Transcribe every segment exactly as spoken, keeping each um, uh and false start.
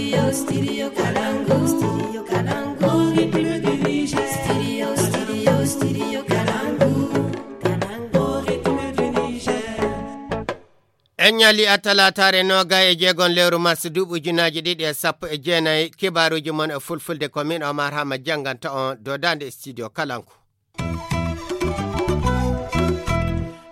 Studio Kalangu. Studio Kalangu. Au rythme du Niger. Studio, studio, studio Kalangu. Kalangu, au rythme du Niger. En ñali a talaataare nooga e jeegon lewru mars duuɓi ujunaaji ɗiɗi e sappo e jeenayi. Kibaaruuji mon e fulfulde ko min Omar Hama jannganta on dodaande e studio Kalangu.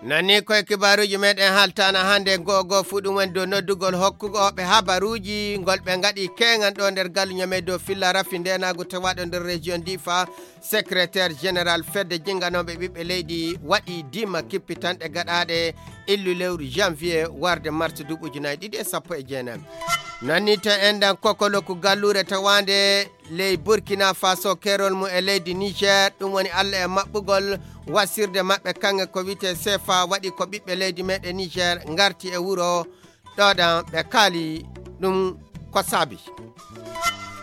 Nani koye kibaaruuji meɗen haltaana hannde, goo goo fuu ɗum woni dow noddugol hokkugo ɓe habaruuji ngol ɓe ngaɗi keeŋan ɗo nder galu ñame dow filla rafi ndenaagu tawaaɗo nder région Difa. Secrétaire général fedde jinnganooɓe ɓiɓɓe leydi waɗi dima kippitanɗe gaɗaaɗe illu lewru janvier warde mars duuɓi ujunaaji ɗiɗi e sappo e jeenayi. Nanni to enɗan kokoloku galluure tawaande ley Burkina Faso, keerol mum e leydi Niger, ɗum woni Allah e maɓɓugol wasirde maɓɓe kaŋŋe ko wiyetee sefa waɗi ko ɓiɓɓe leydi meɗen Niger ngarti e wuro ɗoɗan ɓe kaali ɗum ko saabi.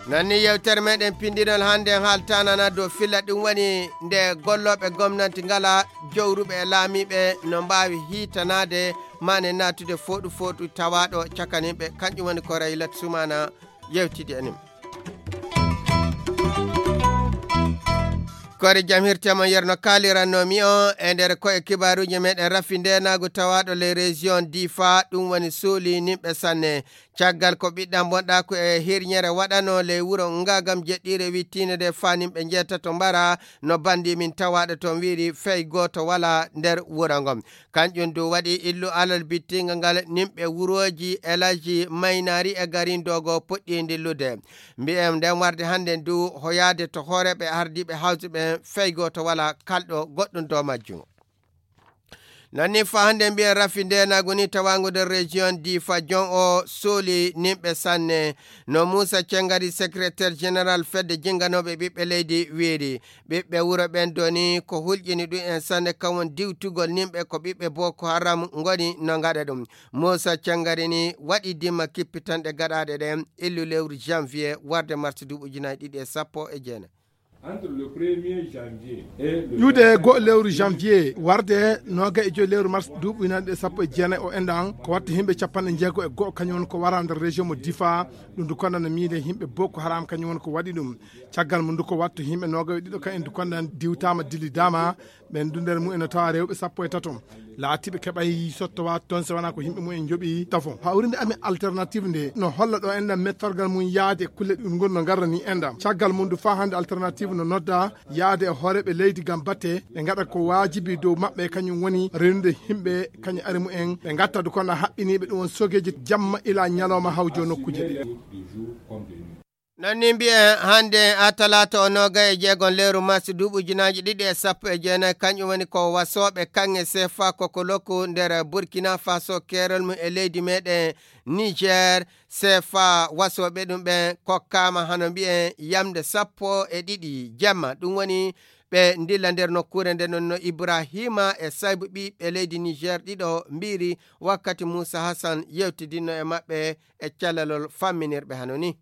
Nanni yewtere meɗen pinndinol hannde haaltanana dow filla ɗum woni nde gollooɓe gomnanti ngala jowruɓe e laamiiɓe no mbaawi hiitanaade maane naatude fooɗu fooɗu tawaaɗo cakaninɓe, kanƴum woni ko Raylat Sumana yewtidi e nim. Kore jam hirtema yerno kaalirannomi on e nder ko e kibaaruuji meɗen rafi ndenaagu tawaaɗo les régions Difa, ɗum woni suuli nimɓe sanne. Caggal ko ɓiɗɗam bonɗa ko e hirñere waɗano ley wuro ngagam jeɗɗiire wittiinde nde fanimɓe njeetato mbara no bandi min tawaaɗo toon wiiri fey gooto wala nder wuro ngon. Kanƴum du waɗi illu alal bittinga ngal nimɓe wurooji Elaji Maynari e Garindogo puɗɗi dillude. Mbiyen nden warde hannden du hoyaade to hooreeɓe ardiiɓe hawse ɓen fey gooto wala kalɗo goɗɗum dow majjum. Nanni fa hannde mbiyen rafi ndenaagu ni tawaangu nder région Difa jon o suuli nimɓe sanne. No Muusa Cengari, secrétaire général fedde jinnganooɓe ɓiɓɓe leydi wiiri. Ɓiɓɓe wuro ɓen doni ko hulƴini ɗum en sanne kam won diwtugol nimɓe ko ɓiɓɓe Boko Haram ngoni no ngaɗa ɗum. Muusa Cengari ni waɗi dima kippitanɗe gaɗaaɗe ɗen illu lewru janvier warde mars duuɓi ujunaaji ɗiɗi e sappo e jeenayi. Entre le premier janvier et le ƴuude goo lewru janvier warde nooga e joyi lewru mars duuɓi ujunaaji ɗiɗi e sappo e jeenayi o enɗan ko watta yimɓe capanɗe jeego e goo kañum woni ko wara nder région mo Difa. Ɗum du konda no miide yimɓe Boko Haram kañum woni ko waɗi ɗum. Caggal mum du ko watta yimɓe nooga e ɗiɗo kañum du konda diwtaama dillidaama. Ɓen du nder mum ene tawa rewɓe sappo e tato laatiiɓe keɓay sottowa toon so wonaa ko yimɓe mum en njoɓi tafo. Hawrinde amen alternative nde no holla ɗo enɗan mettorgal mum yaade e kulle ɗum ngoni no ngarrani enɗan. Caggal mum du faa hannde alternative no nodda yaade e hooreeɓe leydi ngam batte ɓe ngaɗa ko waajibi dow maɓɓe, kañum woni rewnude yimɓe kañum ari mum en ɓe ngatta du kono haɓɓiniiɓe ɗum won sogeeji jamma ila ñalawma hawjo nokkuuje ɗe. Nanni mbiyen hannde a talaata o nooga e jeegon lewru mars duuɓi ujunaaji ɗiɗi e sappo e jeenayi, kanƴum woni ko wasooɓe kaŋŋe sefa kokoloku nder Burkina Faso, keerol mum e leydi meɗen Niger. Sefa wasooɓe ɗum ɓen kokkaama hano mbiyen yamde sappo e ɗiɗi jamma, ɗum woni ɓe ndilla nder nokkuure nde non no Ibrahima e Saybu ɓiɓɓe leydi Niger ɗiɗo mbiiri wakkati Muusa Hassan yewtidinno e maɓɓe e calalol famminirɓe hano ni.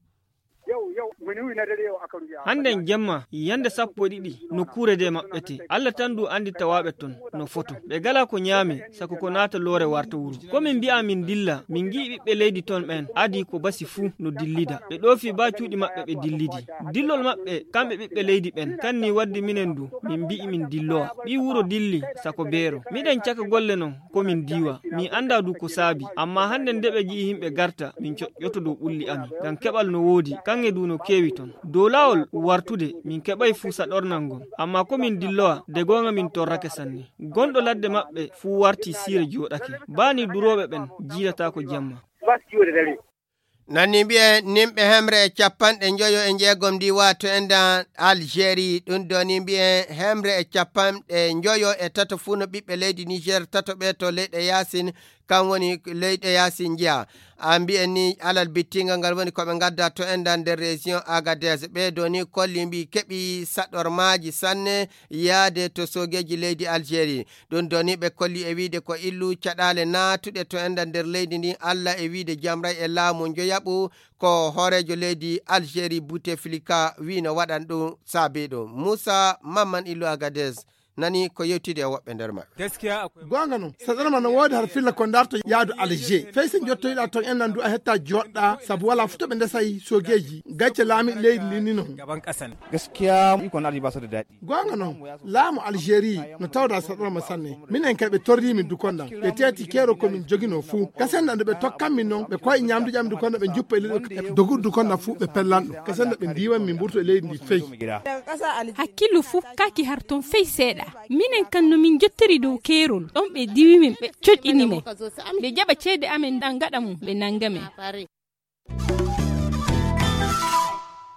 Hannden jemma, yande sappo e ɗiɗi, nokkuure de maɓɓete. Allah tan du anndi tawaaɓe ton no foto. Ɓe gala ko ñaame, sako ko naata loore warta wuro. Ko min mbi'a min dilla, min ngi'i ɓiɓɓe leydi ton ɓen, adi ko basi fuu no dillida. Ɓe ɗoofi baa cuuɗi maɓɓe ɓe dillidi. Dillol maɓɓe, kamɓe ɓiɓɓe leydi ɓen, kan ni waddi minen du, min mbi'i min dillowa. Ɓii wuro dilli, sako beero. Miɗen caka golle non, ko min diwa. Min anndaa du ko saabi. Ammaa hannden de ɓe ngi'i yimɓe garta, min coƴƴoto dow ɓulli amin. Ngam keɓal no woodi, kaŋŋe du no keewi ton. Dow laawol wartude, min keɓay fuu saɗornal ngol. Ammaa ko min dillowa, de goonga min torrake sanne. Gonɗo ladde maɓɓe fuu warti siire jooɗake. Baa ni durooɓe ɓen jiidataako jemma. Nanni mbiyen nimɓe hemre e capanɗe njoyo e njeegom ndi waato enɗan Algérie. Ɗum ɗo ni mbiyen hemre e capanɗe njoyo e tato fuu no ɓiɓɓe leydi Niger tato ɓe to leyɗe yaasin, kan woni leyɗe yaasin njiya. A mbiyen ni alal bittingal ngal woni ko ɓe ngadda to enɗan nder région Agadez. Ɓe ɗo ni kolli mbi keɓi saɗormaaji sanne yaade to soogeeji leydi Algérie. Ɗum ɗo ni ɓe kolli e wiide ko illu caɗaale naatuɗe to enɗan nder leydi ndin Allah e wiide jamray e laamu njoyaɓu ko hooreejo leydi Algérie Bouteflika wii no waɗan ɗum saabii ɗum. Muusa Mamman Illu Agadez nani ko yewtidi e woɓɓe nder maɓɓe. Gaskiya akwai. Goonga non, saɗarma no woodi har filla ko darto yaadu Alger. Fay so njottoyɗa ton en nan du a hetta joɗɗa, sabu wala futo ɓe ndesay sogeeji. Gacce laami leydi ndi ni non. Gaskiya, iko na ba su da daɗi. Goonga non, laamu Algérie no tawda saɗarma sanne. Minen kay ɓe torri min dukonda. Ɓe teeti keero ko min jogino fuu. Kasen nan ɓe tokkan min non, ɓe koy ñamdu ƴam dukonda ɓe juppa e leydi. Dogu dukonda fuu ɓe pellan ɗum. Kasen nan ɓe ndiwan min mburto e leydi ndi fey. Hakkillu fuu kaaki har ton fey seeɗa. Minen kan no min jottori dow keerol. Ɗon ɓe diwi min, ɓe coƴƴini min. Ɓe jaɓa ceede amen dan gaɗa mum, ɓe nanga min.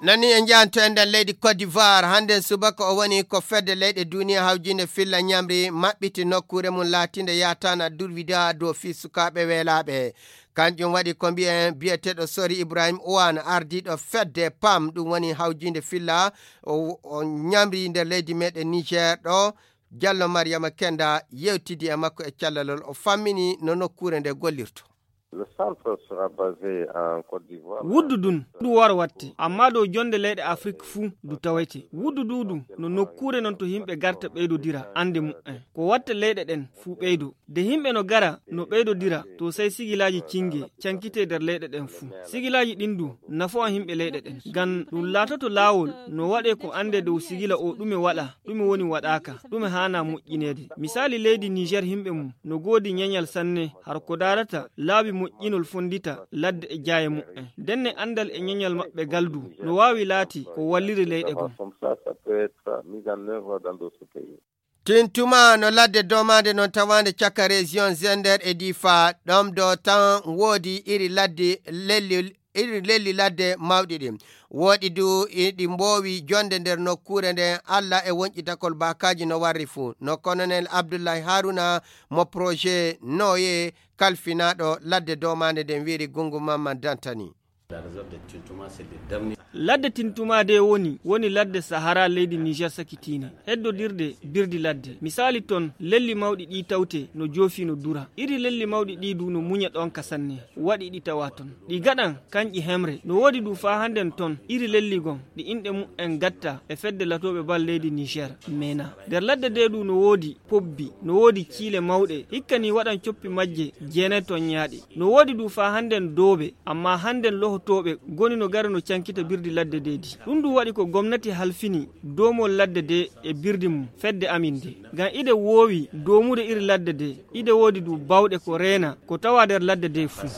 Nani en njahanto e nder leydi Côte d'Ivoire, hannden subaka o woni ko fedde leyɗe duniya hawjinde filla ñamri maɓɓiti nokkuure mum laatinde yaataana durwida dow fii sukaaɓe weelaaɓe. Kanjum waɗi ko mbiyen biyeteeɗo Sori Ibrahim Ouane, ardiiɗo fedde pam, ɗum woni hawjinde filla o, o ñamri nder leydi meɗen Niger ɗo. Jallo Mariama Kenda yewtidi e makko e callalol, o fammini no nokkuure nde gollirto. Le centre sera basé en Côte d'Ivoire. Wuddu dun, du wara watte, amma dow jonde leyɗe Afrik fuu du tawete. Wuddu dudu no nokkuure non to himɓe garta ɓeydodira ande mu'en. Ko watta leyɗe ɗen fuu ɓeydo. De himɓe no gara no ɓeydodira, to sey sigilaaji cinge cankite nder leyɗe ɗen fuu. Sigilaaji ɗin du nafoa himɓe leyɗe ɗen. Ngam ɗum laatoto laawol no waɗe ko ande dow sigila o ɗume waɗa, ɗume woni waɗaaka, ɗume haana moƴƴineede. Misaali leydi Niger himɓe mum no goodi ñañal sanne har ko daarata laabi moƴƴinol fondita ladde e jaaye mu'en. Ndenne andal e ñañal maɓɓe gal du no waawi laati ko walliri leyɗe gom. Comme ça, ça peut être mis en œuvre dans d'autres pays. Tintuma no ladde domaande non tawaande caka région Zender e Difa, ɗom do tan woodi iri ladde lelli, iri lelli ladde mawɗi ɗin. Woɗi du iɗi mboowi jonde nder nokkuure nden. Alla e wonƴitakol baakaaji no warri fuu. No Colonel Abdullahi Haruna mo projet Noye kalfinaaɗo ladde domaande nden wiiri Gungu Mamman Dantani. Ladde Tintuma de woni, woni ladde Sahara leydi Niger sakitiinde. Heddodirde birdi ladde. Misaali ton, lelli mawɗi ɗi tawte no joofi no dura. Iri lelli mawɗi ɗi du no muña ɗon ka sanne. Waɗi ɗi tawa ton. Ɗi gaɗan kanƴi hemre. No woodi du faa hannden ton, iri lelli gon, ɗi inɗe mu'en gatta e fedde latooɓe bal leydi Niger, mena. Nder ladde de du no woodi pobbi, no woodi ciile mawɗe, hikka ni waɗan coppi majje jeenay tonñaaɗe. No woodi du faa hannden doobe, amma hannden lohotooɓe goni no gara no cankita birdi ladde de di. Ɗum du waɗi ko gomnati halfini doomol ladde de e birdi mum fedde amin de. Ngam ide woowi doomude iri ladde de, ide woodi du bawɗe ko reena, ko tawa nder ladde de fuu.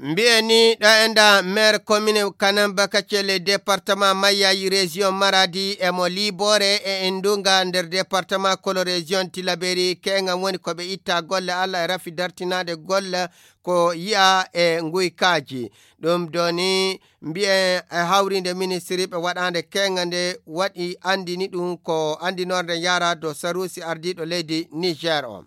Mbi'en ni ɗo e nda maire commune Kanamba Kacelle département Mayayi région Maradi e mo Libore e Indunga nder département kolo région Tilaberi, keŋam woni ko ɓe itta golle Allah e rafi dartinaade golle ko yi'a e nguykaaji. Ɗum doni mbi'en e hawrinde ministre ɓe waɗaande keŋa nde waɗi andini ɗum ko andinorde yara do Sarusi ardiiɗo leydi Niger o.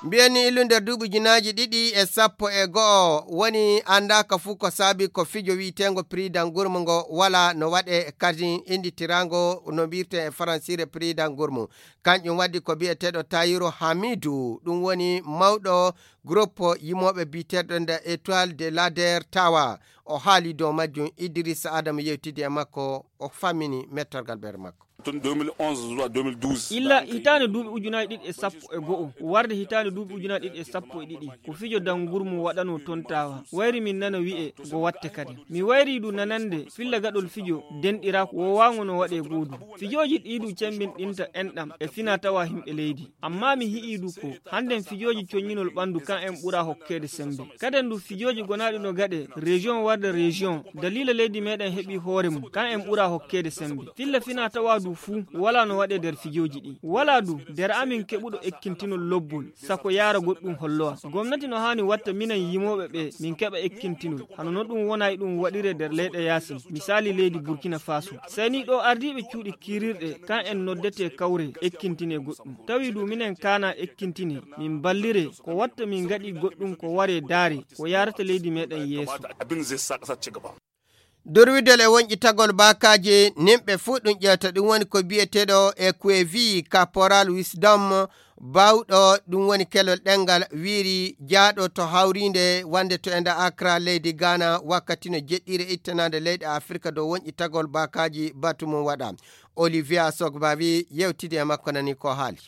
Mbiyen ni illu nder duuɓi ujunaaji ɗiɗi e sappo e go'o woni anndaaka fuu ko saabi ko fijo wi'eteengo Prix d'Angoulême ngo wala no waɗe kadi innditiraango no mbiyetee e faransiire Prix d'Angoulême. Kanƴum waddi ko biyeteeɗo Tayiru Hamidu, ɗum woni mawɗo groupe yimooɓe biyeteeɗo nde Étoile de l'Ader Tawa. O haali dow majjum, Idrissa Adama yewtidi e makko, o fammini mettorgal ɓeere makko. Tun deux mille onze zuwa deux mille douze. Illa hitaande duuɓi ujunaaji ɗiɗi e sappo e go'o, warde hitaande duuɓi ujunaaji ɗiɗi e sappo e ɗiɗi, ko fijo dangurmu waɗanoo toon Tawa. Wayri min nana wi'e go watte kadi. Mi wayri du nanande filla gaɗol fijo denɗiraa ko woowaango no waɗee goodu. Fijooji ɗii du cemmbinɗinta enɗam e fina tawa himɓe leydi. Amma mi hi'i du ko hannden fijooji coññinol ɓanndu kan en ɓura hokkeede semmbe. Kaden du fijooji gonaaɗi no gaɗe région warde région, daliila leydi meɗen heɓi hoore mum, kan en ɓura hokkeede semmbe. Filla fina tawa du fuu, wala no waɗe nder fijooji ɗi. Wala du, nder amin keɓuɗo ekkintinol lobbol, sako yaara goɗɗum hollowa. Gomnati no haani watta minen yimooɓe ɓe min keɓa ekkintinol. Hano no ɗum wona e ɗum waɗire nder leyɗe yaasin, misaali leydi Burkina Faso. Sey ni ɗo ardiiɓe cuuɗi kiirirɗe, kan en noddete kawre, ekkintine goɗɗum. Tawi du minen kaana ekkintine, min ballire, ko watta min ngaɗi goɗɗum ko ware daare, ko yaarata leydi meɗen yeeso. Abin zai sa ƙasa ci gaba. Durwidol e wonƴitagol baakaaji nimɓe fuu ɗum ƴeewta, ɗum woni ko biyeteeɗo e Kuevi Caporal Wisdom Baawɗo ɗum woni kelol ɗemngal wiiri jaaɗo to hawriinde wonde to enda Accra leydi Ghana wakkati no jeɗɗiire ittanaande leyɗe Afirka dow woñƴitagol baakaaji batu mum waɗa. Olivia Sogba wi yewtidi e makko nani ko haali.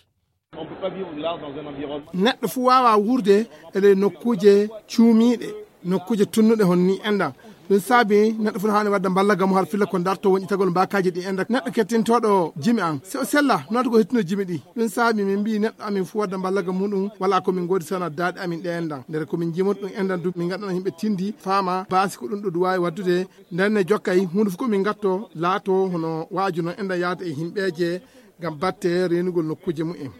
Neɗɗo fuu waawaa wuurde e ley nokkuuje cuumiiɗe, nokkuuje tunnuɗe hono nii enɗan. Ɗum saabi neɗɗo fuu no haani waɗde mballaga mum har filla ko dartoo woñƴitagol mbaakaaji ɗi enɗan. Neɗɗo kettintooɗo jimi an, si o sella, noota ko hettuno jimi ɗi. Ɗum saabi min mbii neɗɗo amin fuu waɗde mballaga muɗum, walaa ko min ngoodi sana daaɗe amin ɗe enɗan. Ndere ko min jimori ɗum enɗan du, min ngaɗana yimɓe tindi, faama, baasi ko ɗum ɗo ɗum waawi waɗdude. Nden ne jokkay, huunde fuu ko min ngattoo, laatoo hono waaju no enɗan yahde e yimɓeeje ngam batte reenugol nokkuuje mumen.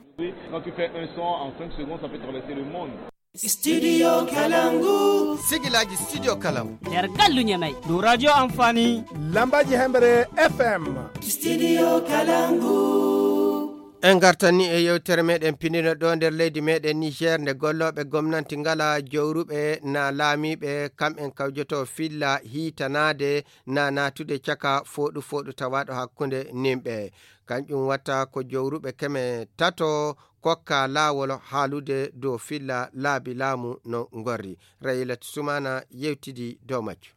Quand tu fais un son en cinq secondes, ça peut traverser le monde. Studio Kalangu. Sigilaji Studio Kalangu. Nder gallu Ñamay. Dow radio Amfani. Lambaji Hembre F M. Studio Kalangu. En ngartan ni e yewtere meɗen pinino ɗo nder leydi meɗen Niger, nde gollooɓe gomnanti ngala jowruɓe na laamiiɓe, kamɓen kawjoto filla hiitanaade na naatude caka fooɗu fooɗu tawaaɗo hakkunde nimɓe. Kanƴum watta ko jowruɓe keme tato kokka laawol haalude dow filla laabi laamu no ngorri. Rayilat Sumana yewtidi dow majjum.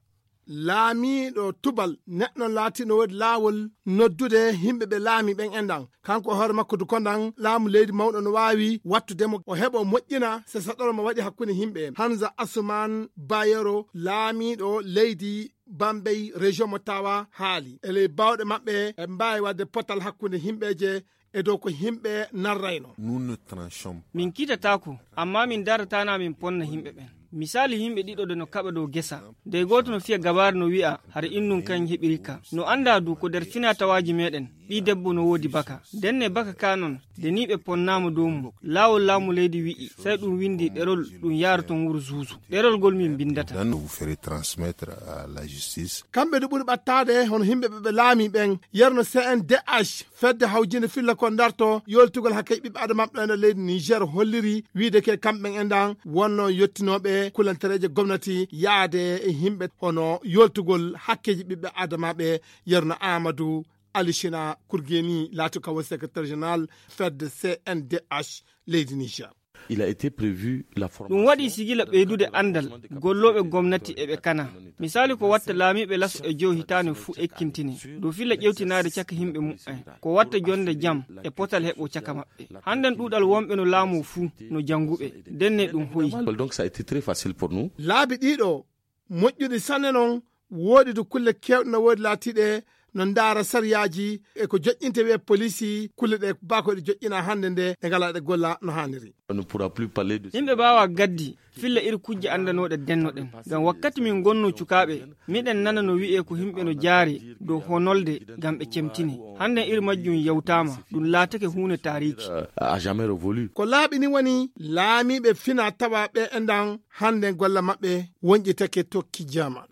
Laamiiɗo tubal neɗɗo laatino woodi laawol noddude yimɓe ɓe laami ɓen enɗan. Kanko e hoore makko du kondan laamu leydi mawɗo no waawi wattude mo o heɓo moƴƴina se saɗoro mo waɗi hakkunde yimɓe. Hamza Asuman Bayero, laamiiɗo leydi Bambey, région mo Tawa, haali e ley baawɗe maɓɓe e mbaawi waɗde potal hakkunde yimɓeeje e dow ko yimɓe narrayno. Nous ne tranchons pas. Min kiitataako, amma min darataana min ponna yimɓe ɓen. Misaali yimɓe ɗiɗo de no kaɓa dow gesa. De gooto no fiya gabaare no wi'a, hara innun kan heɓiri ka. No anndaa du ko nder finaa tawaaji meɗen, ɓii debbo no woodi baka. Nden ne baka ka non, de ni ɓe ponnaama dow mum. Laawol laamu leydi wi'i, sey ɗum windi ɗerol ɗum yaara ton wuro zuuzu. Ɗerol ngol min mbindata. Vous ferez transmettre à la justice. Kamɓe du ɓuri ɓattaade hono yimɓe ɓe ɓe laami ɓen. Yerno C N D H, fedde hawjinde filla ko darto yoltugol hakkeeji ɓiɓɓe adama ɓe nder leydi Niger holliri wiide ke kamɓe enɗan wonno yottinooɓe kulantereeje gomnati yaade e yimɓe hono yoltugol hakkeeji ɓiɓɓe adama ɓe. Yerno Amadou Alishina Kurgeni laati ko woni secrétaire général fedde C N D H leydi Niger. Il a été prévu la formation. Ɗum waɗi sigila ɓeydude anndal gollooɓe gomnati e ɓe kana. Misaali ko watta laamiiɓe laso e jow hitaande fuu ekkintine. Dow filla ƴewtinaade caka yimɓe mumen. Ko watta jonde jam e potal heɓo caka maɓɓe. Hannden ɗuuɗal wonɓe no laamu fuu no jannguɓe. Ndenne ɗum hoyi. Donc ça a été très facile pour nous. Laabi ɗiɗo moƴƴude sanne non, woodi du kulle keewɗe no woodi laatiiɗe no ndaara sariyaaji e ko joƴƴinte wi'e poliisi, kulle ɗe baa ko ɗe joƴƴina hannde nde ɗe ngalaa ɗe golla no haaniri. On ne pourra plus parler de. Yimɓe mbaawaa gaddi filla iri kujje anndanooɗe dennoɗen. Ngam wakkati min ngonno cukaaɓe, miɗen nana no wi'ee ko yimɓe no jaari dow honolde ngam ɓe cemtine. Hannden iri majjum yewtaama, ɗum laatake huunde taariiki. Euh, a jamais révolu. Ko laaɓi ni woni laamiiɓe fina tawa ɓe enɗan hannden golla maɓɓe wonƴitake tokki jaman.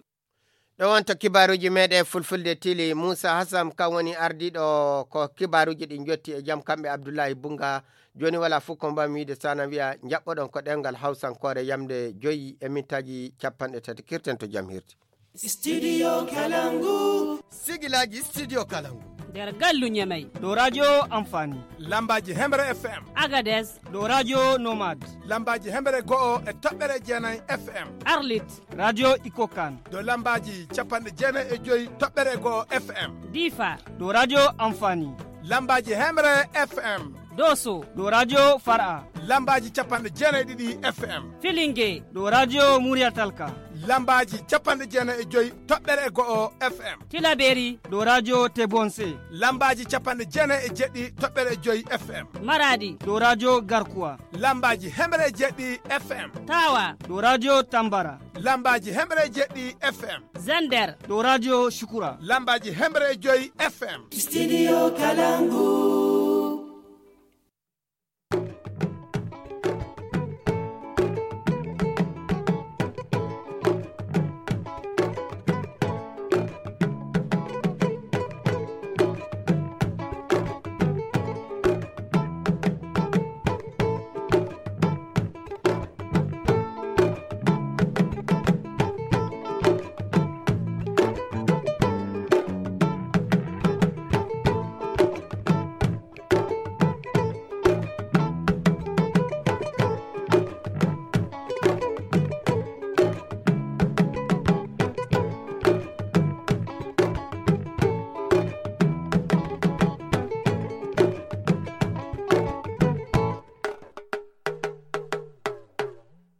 Ɗo wonto kibaaruuji meɗen fulfulde tili. Muusa Hasam kam woni ardiiɗo ko kibaaruuji ɗi jotti e jam kamɓe Abdullahi Bunga. Jooni wala fof ko mbami wiide sana wiya jaɓɓoɗon ko ɗemngal hawsankoore yamde joyi e mintaaji capanɗe tati kirten to jam hirti. Studio Kalangu. Sigilaji Studio Kalangu. Nder gallu Ñamey. Ɗo radio Amfani. Lambaji Hemre F M. Agades. Ɗo radio Nomad. Lambaji Hemre go'o e toɓɓere jeenay F M. Arlit. Radio Ikokan. Ɗo lambaji capanɗe jeenay e joyi toɓɓere go'o F M. Difa. Ɗo radio Amfani. Lambaji Hemre F M. Doso. Ɗo radio Far'a. Lambaji capanɗe jeenay ɗiɗi F M. Filinge. Ɗo radio Muriyatalka. Lambaji capanɗe jeenay e joyi toɓɓere e go'o F M. Tilaberi. Ɗo radio Tebonse. Lambaji capanɗe jeenay e jeɗɗi toɓɓere e joyi F M. Maradi. Ɗo radio Garkuwa. Lambaji hemre e jeɗɗi F M. Tawa. Ɗo radio Tambara. Lambaji hemre e jeɗɗi F M. Zender. Ɗo radio Shukura. Lambaji hemre e joyi F M. Studio Kalangu.